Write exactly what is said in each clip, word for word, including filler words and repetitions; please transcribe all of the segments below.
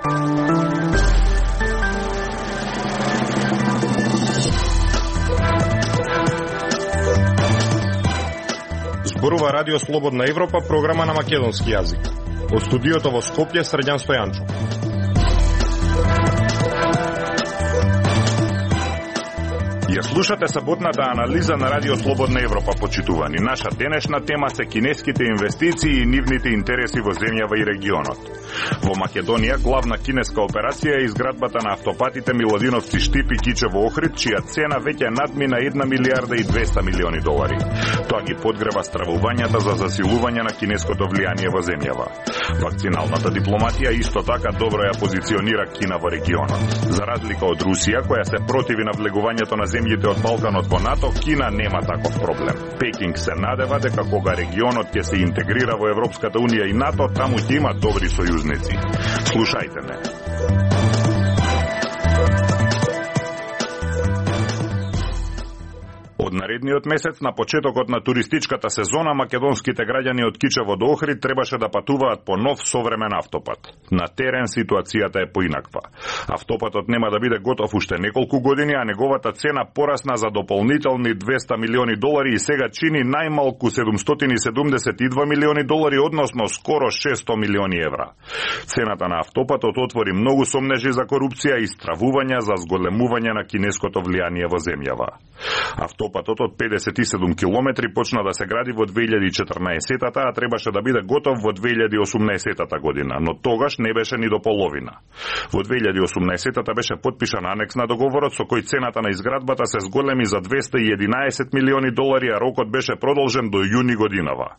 Зборува Радио Слободна Европа, програма на македонски јазик. Од студиото во Скопје, Срđan Стојанчов. Ја слушате саботната анализа на Радио Слободна Европа, почитувани. Наша денешна тема се кинеските инвестиции и нивните интереси во земјава и регионот. Во Македонија главна кинеска операција е изградбата на автопатите Милодиновци Штип и Кичево Охрид, чија цена веќе надмина една милијарда и двеста милиони долари. Тоа ги подгрева стравувањата за засилување на кинеското влијание во земјава. Вакциналната дипломатија исто така добро ја позиционира Кина во регионот. За разлика од Русија, која се противи на влегувањето на земјите од Балканот во НАТО, Кина нема таков проблем. Пекинг се надева дека кога регионот ќе се интегрира во Европската унија и НАТО, таму ќе има добри сојузници. Слушајте ме. Од наредниот месец, на почетокот на туристичката сезона, македонските граѓани од Кичево до Охрид требаше да патуваат по нов современ автопат. На терен ситуацијата е поинаква. Автопатот нема да биде готов уште неколку години, а неговата цена порасна за дополнителни двеста милиони долари и сега чини најмалку седумстотини и седумдесет и два милиони долари, односно скоро шесто милиони евра. Цената на автопатот отвори многу сомнежи за корупција и стравувања за зголемување на кинеското влијание во земјава. Автопатот од педесет и седум километри почна да се гради во две илјади и четрнаесетта, а требаше да биде готов во две илјади и осумнаесетта година, но тогаш не беше ни до половина. Во две илјади и осумнаесетта беше подпишан анекс на договорот со кој цената на изградбата се зголеми за двеста и единаесет милиони долари, а рокот беше продолжен до јуни годинава.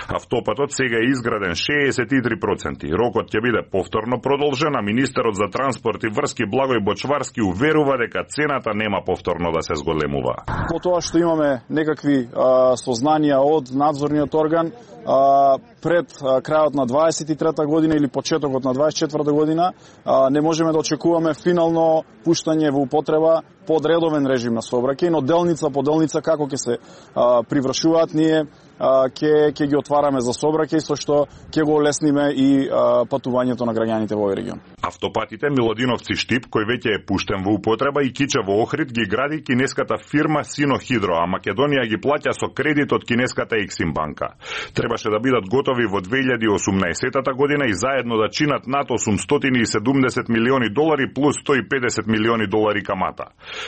Автопатот сега е изграден шеесет и три проценти. Рокот ќе биде повторно продолжен, а министерот за транспорт и врски Благој Бочварски уверува дека цената нема повторно да се зголемува. По тоа што имаме некакви а, сознанија од надзорниот орган, а, пред а, крајот на дваесет и трета година или почетокот на дваесет и четврта година, а, не можеме да очекуваме финално пуштање во употреба под редовен режим на сообраќај, но делница по делница како ќе се а, привршуваат, ние ќе ќе ги отвараме за сообраќај, со што ќе го олесниме и а, патувањето на граѓаните во овој регион. Автопатите Милодиновци Штип, кој веќе е пуштен во употреба, и Кичево Охрид ги гради кинеската фирма Синохидро, а Македонија ги плаќа со кредит од кинеската Ексим банка. Требаше да бидат готови во две илјади и осумнаесетта година и заедно да чинат над осумстотини и седумдесет милиони долари плюс сто и педесет милиони долари камата.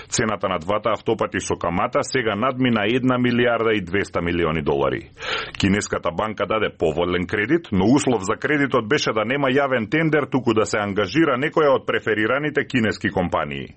Цената на двата автопати со камата сега надмина една милијарда и двеста милиони долари. Кинеската банка даде поволен кредит, но услов за кредитот беше да нема јавен тендер, туку да се ангажира некоја од преферираните кинески компании.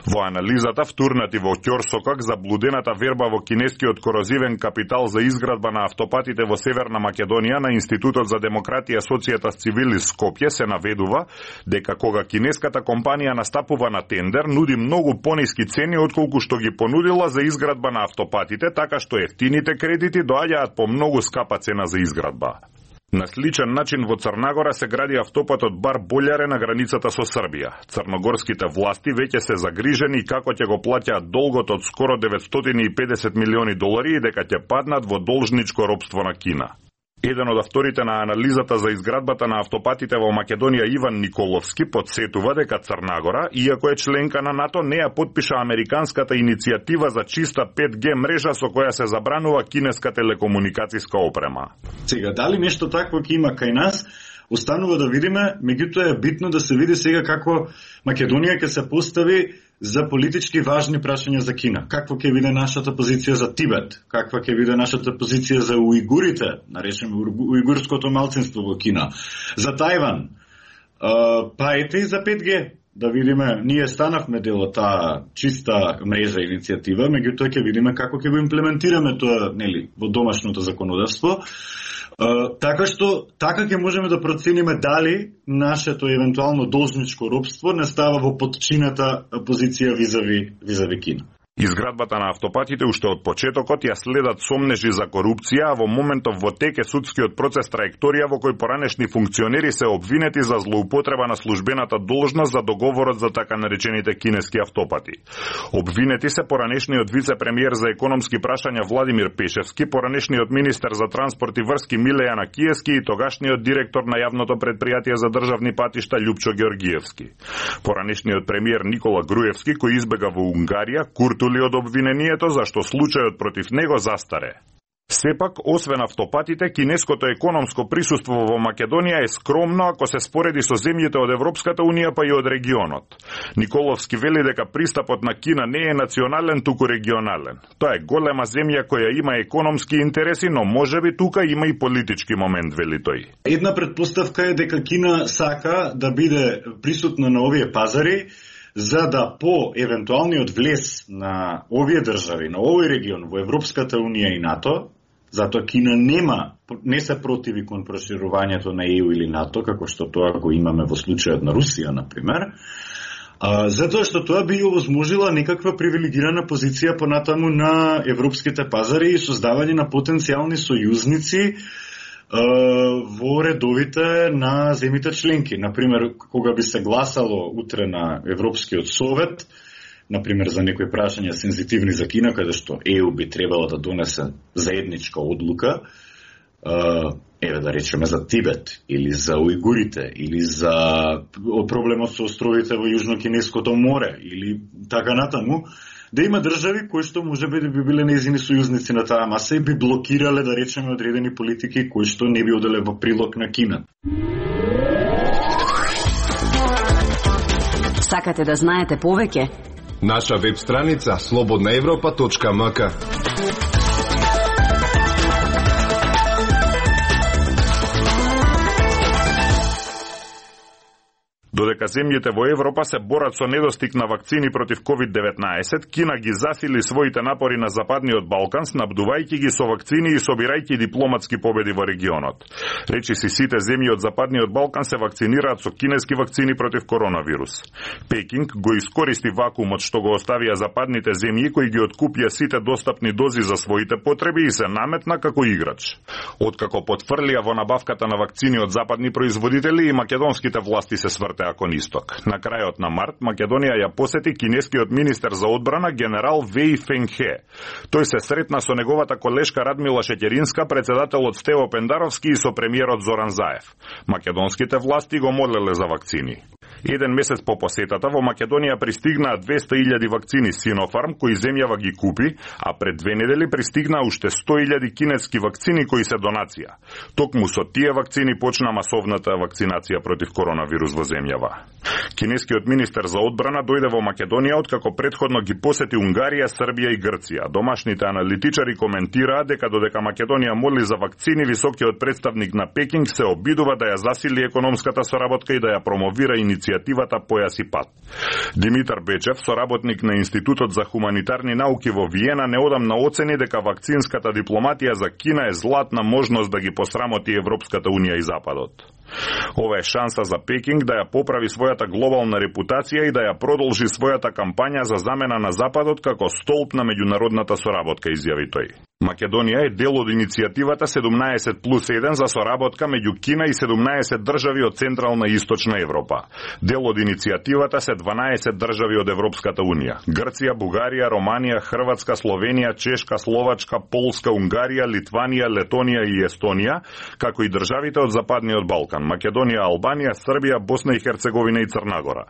Во анализата втурнати во ќорсокак заблудената верба во кинескиот корозивен капитал за изградба на автопатите во Северна Македонија на Институтот за демократија Социјетас Цивилис Скопје се наведува дека кога кинеската компанија настапува на тендер, нуди многу пониски цени отколку што ги понудила за изградба на автопатите, така што ефтините кредити доаѓаат по многу скапа цена за изградба. На сличен начин во Црнагора се гради автопатот Бар Болјаре на границата со Србија. Црногорските власти веќе се загрижени како ќе го плаќаат долгот од скоро деветстотини и педесет милиони долари и дека ќе паднат во должничко робство на Кина. Еден од авторите на анализата за изградбата на автопатите во Македонија, Иван Николовски, подсетува дека Црнагора, иако е членка на НАТО, не ја подпиша американската иницијатива за чиста пет ге мрежа со која се забранува кинеска телекомуникацијска опрема. Сега, дали нешто такво ќе има кај нас, останува да видиме, меѓутоа е битно да се види сега како Македонија ќе се постави за политички важни прашања за Кина. Каква ќе биде нашата позиција за Тибет? Каква ќе биде нашата позиција за уигурите, наречеме уигурското малцинство во Кина? За Тајван? Па ете и за пет ге. Да видиме, ние станавме дел од таа чиста мрежа иницијатива, меѓутоа ќе видиме како ќе го имплементираме тоа, нели, во домашното законодавство. Uh, така што, така ќе можеме да процениме дали нашето евентуално должничко робство не става во потчината позиција визави, визави Кина. Изградбата на автопатите уште од почетокот ја следат сомнежи за корупција, а во моментов во тек е судскиот процес траекторија во кој поранешни функционери се обвинети за злоупотреба на службената должност за договорот за така наречените кинески автопати. Обвинети се поранешниот вице-премиер за економски прашања Владимир Пешевски, поранешниот министер за транспорт и врски Милејана Киески и тогашниот директор на јавното претпријатие за државни патишта Љупчо Георгиевски. Поранешниот премиер Никола Груевски, кој избега во Унгарија, курту од обвинението зашто случајот против него застаре. Сепак, освен автопатите, кинеското економско присуство во Македонија е скромно ако се спореди со земјите од Европската Унија па и од регионот. Николовски вели дека пристапот на Кина не е национален, туку регионален. Тоа е голема земја која има економски интереси, но можеби тука има и политички момент, вели тој. Една предпоставка е дека Кина сака да биде присутна на овие пазари, за да по евентуалниот влез на овие држави, на овој регион, во Европската Унија и НАТО, затоа Кина нема, не се противи кон проширувањето на Е У или НАТО, како што тоа го имаме во случајот на Русија, например, а, затоа што тоа би овозможила некаква привилегирана позиција понатаму на европските пазари и создавање на потенцијални сојузници во редовите на земите членки. Например, кога би се гласало утре на Европскиот совет, например за некои прашања сензитивни за Кина, каде што Е У би требало да донесе заедничка одлука, еве да речеме за Тибет, или за ујгурите, или за проблемот со островите во Јужно-Кинеското море, или така натаму, да има држави кои што можеби да би биле нејзини сојузници на таа маса и би блокирале, да речеме, одредени политики кои што не би оделе во прилог на Кина. Сакате да знаете повеќе? Наша веб страница слободна европа точка ем ка. Додека земјите во Европа се борат со недостиг на вакцини против ковид деветнаесет, Кина ги засили своите напори на Западниот Балкан, снабдувајќи ги со вакцини и собирајќи дипломатски победи во регионот. Речиси сите земји од Западниот Балкан се вакцинираат со кинески вакцини против коронавирус. Пекинг го искористи вакуумот што го оставија западните земји кои ги откупија сите достапни дози за своите потреби и се наметна како играч. Откако потфрлија во набавката на вакцини од западни производители, и македонските власти се свртеа кон исток. На крајот на март Македонија ја посети кинескиот министер за одбрана генерал Веј Фенгхе. Тој се сретна со неговата колешка Радмила Шеќеринска, председателот Стево Пендаровски и со премиерот Зоран Заев. Македонските власти го молеле за вакцини. Еден месец по посетата во Македонија пристигнаа двесте илјади вакцини Синофарм кои земјава ги купи, а пред две недели пристигнаа уште сто илјади кинески вакцини кои се донација. Токму со тие вакцини почна масовната вакцинација против коронавирус во земјава. Кинескиот министер за одбрана дојде во Македонија откако претходно ги посети Унгарија, Србија и Грција. Домашните аналитичари коментираа дека додека Македонија моли за вакцини, високиот представник на Пекинг се обидува да ја засили економската соработка и да ја промовира иницијативата Појас и пат. Димитар Бечев, соработник на Институтот за хуманитарни науки во Виена, неодамна оцени дека вакцинската дипломатија за Кина е златна можност да ги посрамоти Европската Унија и Западот. Ова е шанса за Пекинг да ја поправи својата глобална репутација и да ја продолжи својата кампања за замена на Западот како столб на меѓународната соработка, изјави тој. Македонија е дел од иницијативата седумнаесет плюс еден за соработка меѓу Кина и седумнаесет држави од Централна и Источна Европа. Дел од иницијативата се дванаесет држави од Европската Унија: Грција, Бугарија, Романија, Хрватска, Словенија, Чешка, Словачка, Полска, Унгарија, Литванија, Летонија и Естонија, како и државите од Западниот Балкан: Македонија, Албанија, Србија, Босна и Херцеговина и Црна Гора.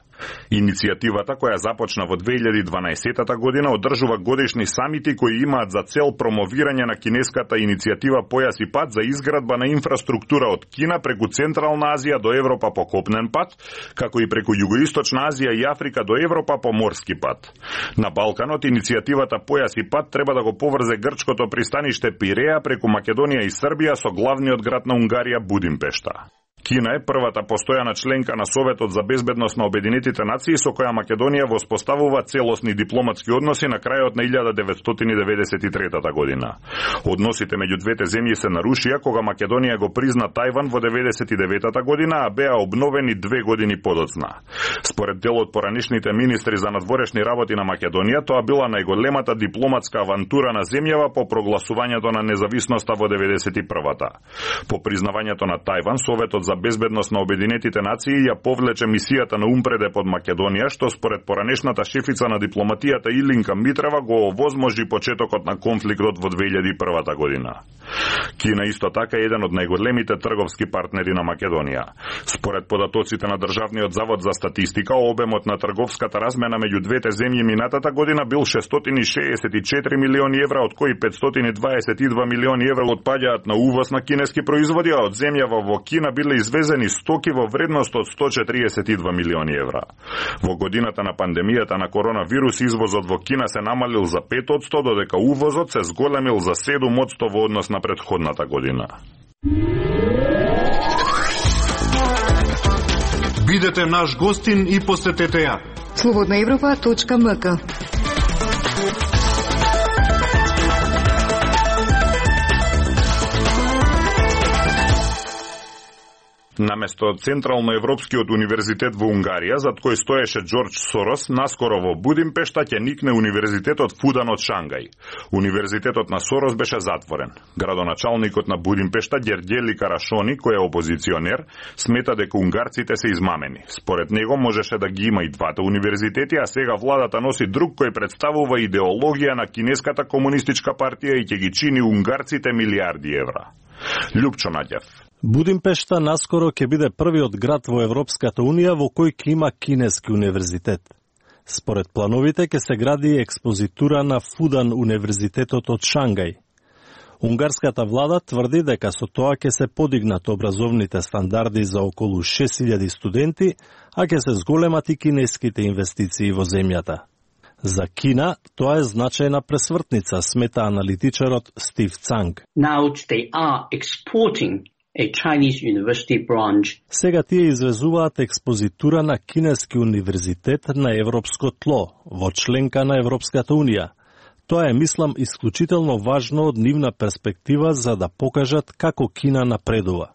Иницијативата, која започна во две илјади и дванаесетата година, одржува годишни самити кои имаат за цел промовирање на кинеската иницијатива Појас и пат за изградба на инфраструктура од Кина преку Централна Азија до Европа по копнен пат, како и преку Југоисточна Азија и Африка до Европа по морски пат. На Балканот иницијативата Појас и пат треба да го поврзе грчкото пристаниште Пиреа преку Македонија и Србија со главниот град на Унгарија Будимпешта. Кина е првата постојана членка на Советот за безбедност на Обединетите нации со која Македонија воспоставува целосни дипломатски односи на крајот на илјада деветстотини деветдесет и трета година. Односите меѓу двете земји се нарушија кога Македонија го призна Тајван во деветдесет и девета година, а беа обновени две години подоцна. Според дел од поранишните министри за надворешни работи на Македонија, тоа била најголемата дипломатска авантура на земјава по прогласувањето на независноста во деветдесет и првата. По признавањето на Тајван, Советот за безбедност на Обединетите нации ја повлече мисијата на Умпреде под Македонија, што според поранешната шефица на дипломатијата Илинка Митрева го овозможи почетокот на конфликтот во две илјади и прва година. Кина исто така е еден од најголемите трговски партнери на Македонија. Според податоците на Државниот завод за статистика, обемот на трговската размена меѓу двете земји минатата година бил шестстотини шеесет и четири милиони евра, од кои петстотини дваесет и два милиони евра отпаѓаат на увоз на кинески производи, а од земјава во Кина биле извезени стоки во вредност од сто четириесет и два милиони евра. Во годината на пандемијата на коронавирус извозот во Кина се намалил за пет одсто, додека увозот се зголемил за седум одсто во однос на претходната година. Бидете наш гостин и посетете ја слободна европа точка ем ка. Наместо Централноевропскиот универзитет во Унгарија, зад кој стоеше Џорџ Сорос, наскоро во Будимпешта ќе никне универзитетот Фудан од Шангај. Универзитетот на Сорос беше затворен. Градоначалникот на Будимпешта Ѓерѓели Карашони, кој е опозиционер, смета дека унгарците се измамени. Според него можеше да ги има и двата универзитети, а сега владата носи друг кој представува идеологија на кинеската комунистичка партија и ќе ги чини унгарците милиарди евра. Љупчо Наѓев. Будимпешта наскоро ќе биде првиот град во Европската Унија во кој ќе има кинески универзитет. Според плановите ќе се гради експозитура на Фудан универзитетот од Шангај. Унгарската влада тврди дека со тоа ќе се подигнат образовните стандарди за околу шест илјади студенти, а ќе се зголемат и кинеските инвестиции во земјата. За Кина тоа е значајна пресвртница, смета аналитичарот Стив Цанг. Now they are exporting a Chinese university branch. Сега тие извезуваат експозитура на кинески универзитет на европско тло, во членка на Европската Унија. Тоа е, мислам, исклучително важно од нивна перспектива за да покажат како Кина напредува.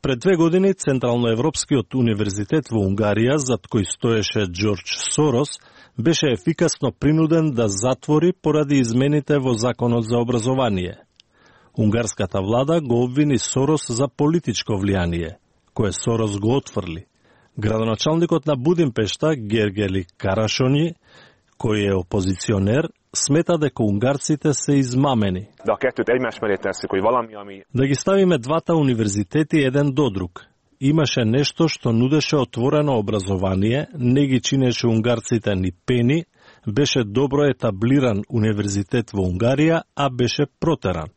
Пред две години Централноевропскиот универзитет во Унгарија, зад кој стоеше Џорџ Сорос, беше ефикасно принуден да затвори поради измените во Законот за образование. Унгарската влада го обвини Сорос за политичко влијание, кое Сорос го отфрли. Градоначалникот на Будимпешта, Ѓерѓели Карашони, кој е опозиционер, смета дека унгарците се измамени. Да ги ставиме двата универзитети еден до друг. Имаше нешто што нудеше отворено образование, не ги чинеше унгарците ни пени, беше добро етаблиран универзитет во Унгарија, а беше протеран.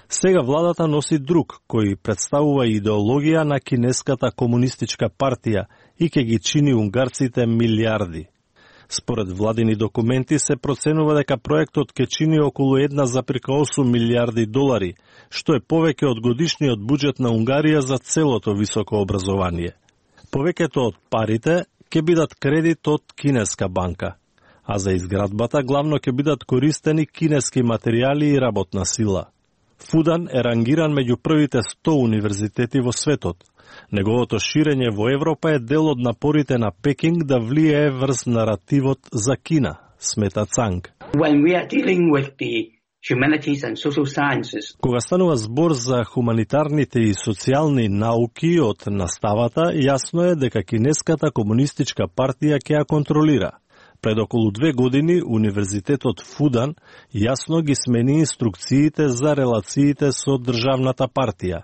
Сега владата носи друг, кој представува идеологија на кинеската комунистичка партија и ќе ги чини унгарците милиарди. Според владини документи се проценува дека проектот ќе чини околу една зарез осум милиарди долари, што е повеќе од годишниот буџет на Унгарија за целото високо образование. Повеќето од парите ќе бидат кредит од кинеска банка, а за изградбата главно ќе бидат користени кинески материјали и работна сила. Фудан е рангиран меѓу првите сто универзитети во светот. Неговото ширење во Европа е дел од напорите на Пекинг да влијае врз наративот за Кина, смета Цанг. Кога станува збор за хуманитарните и социјални науки од наставата, јасно е дека кинеската комунистичка партија ќе ја контролира. Пред околу две години Универзитетот Фудан јасно ги смени инструкциите за релациите со државната партија.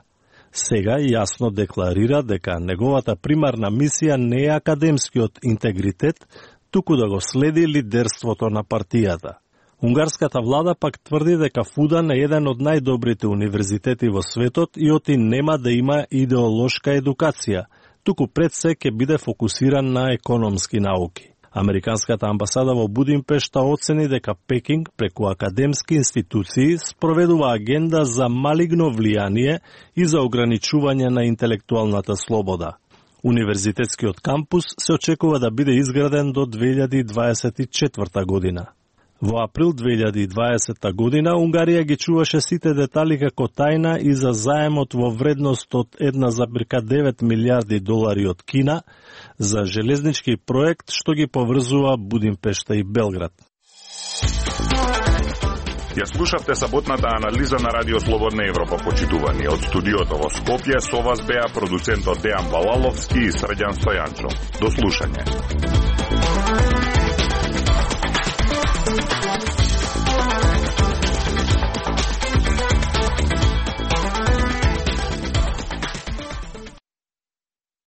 Сега јасно декларира дека неговата примарна мисија не е академскиот интегритет, туку да го следи лидерството на партијата. Унгарската влада пак тврди дека Фудан е еден од најдобрите универзитети во светот и оти нема да има идеолошка едукација, туку пред се ќе биде фокусиран на економски науки. Американската амбасада во Будимпешта оцени дека Пекинг преку академски институции спроведува агенда за малигно влијание и за ограничување на интелектуалната слобода. Универзитетскиот кампус се очекува да биде изграден до две илјади дваесет и четврта година. Во април две илјади и дваесетта година Унгарија ги чуваше сите детали како тајна и за заемот во вредност од една зарез девет милијарди долари од Кина за железнички проект што ги поврзува Будимпешта и Белград. Ја слушавте саботната анализа на Радио Слободна Европа, почитувани. Од студиото во Скопје со вас беа продуцентот Дејан Балаловски и Срđan Стојанчо. До слушање.